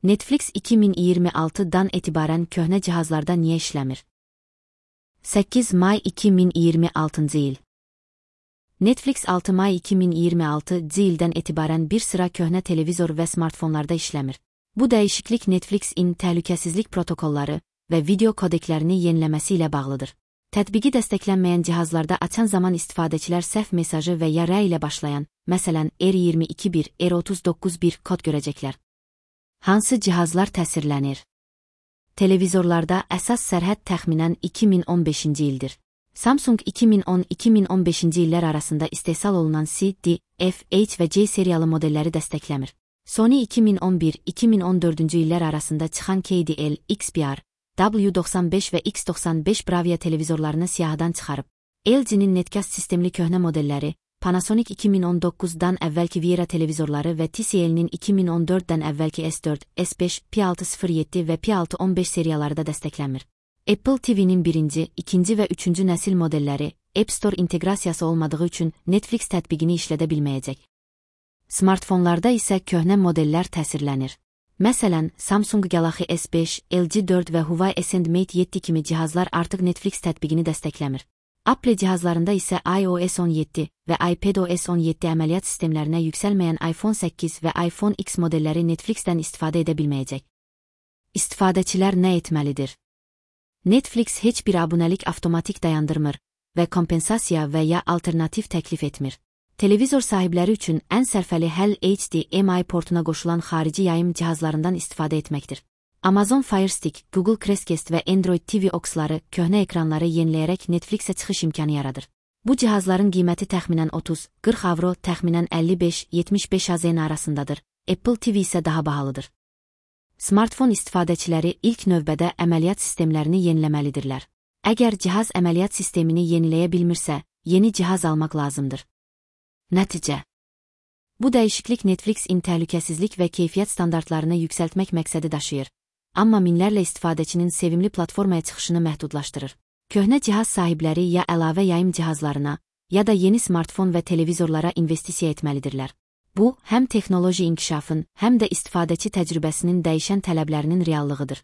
Netflix 2026-dan etibarən köhnə cihazlarda niyə işləmir? 8 may 2026-cı il. Netflix 6 may 2026-cı ildən etibarən bir sıra köhnə televizor və smartfonlarda işləmir. Bu dəyişiklik Netflix-in təhlükəsizlik protokolları və video kodeklərini yeniləməsi ilə bağlıdır. Tətbiqi dəstəklənməyən cihazlarda açan zaman istifadəçilər səhv mesajı və ya rəy ilə başlayan, məsələn, R22.1, R39.1 kod görəcəklər. Hansı cihazlar təsirlənir? Televizorlarda əsas sərhəd təxminən 2015-ci ildir. Samsung 2010-2015-ci illər arasında istehsal olunan C, D, F, H və C seriyalı modelləri dəstəkləmir. Sony 2011-2014-cü illər arasında çıxan KDL, XPR, W95 və X95 Bravia televizorlarını siyahıdan çıxarıb. LG-nin Netcast sistemli köhnə modelləri, Panasonic 2019-dan əvvəlki Viera televizorları və TCL-nin 2014-dən əvvəlki S4, S5, P607 və P615 seriyaları da dəstəklənmir. Apple TV-nin birinci, ikinci və üçüncü nəsil modelləri App Store inteqrasiyası olmadığı üçün Netflix tətbiqini işlədə bilməyəcək. Smartfonlarda isə köhnə modellər təsirlənir. Məsələn, Samsung Galaxy S5, LG 4 və Huawei Ascend Mate 7 kimi cihazlar artıq Netflix tətbiqini dəstəkləmir. Apple cihazlarında isə iOS 17 və iPadOS 17 əməliyyat sistemlərinə yüksəlməyən iPhone 8 və iPhone X modelləri Netflix-dən istifadə edə bilməyəcək. İstifadəçilər nə etməlidir? Netflix heç bir abunəlik avtomatik dayandırmır və kompensasiya və ya alternativ təklif etmir. Televizor sahibləri üçün ən sərfəli həll HDMI portuna qoşulan xarici yayım cihazlarından istifadə etməkdir. Amazon Fire Stick, Google Chromecast və Android TV Aux-ları köhnə ekranları yeniləyərək Netflix-ə çıxış imkanı yaradır. Bu cihazların qiyməti təxminən 30-40 avro, təxminən 55-75 AZN arasındadır. Apple TV isə daha bahalıdır. Smartfon istifadəçiləri ilk növbədə əməliyyat sistemlərini yeniləməlidirlər. Əgər cihaz əməliyyat sistemini yeniləyə bilmirsə, yeni cihaz almaq lazımdır. Nəticə: bu dəyişiklik Netflix-in təhlükəsizlik və keyfiyyət standartlarını yüksəltmək məqsədi daşıyır. Amma minlərlə istifadəçinin sevimli platformaya çıxışını məhdudlaşdırır. Köhnə cihaz sahibləri ya əlavə yayım cihazlarına, ya da yeni smartfon və televizorlara investisiya etməlidirlər. Bu, həm texnoloji inkişafın, həm də istifadəçi təcrübəsinin dəyişən tələblərinin reallığıdır.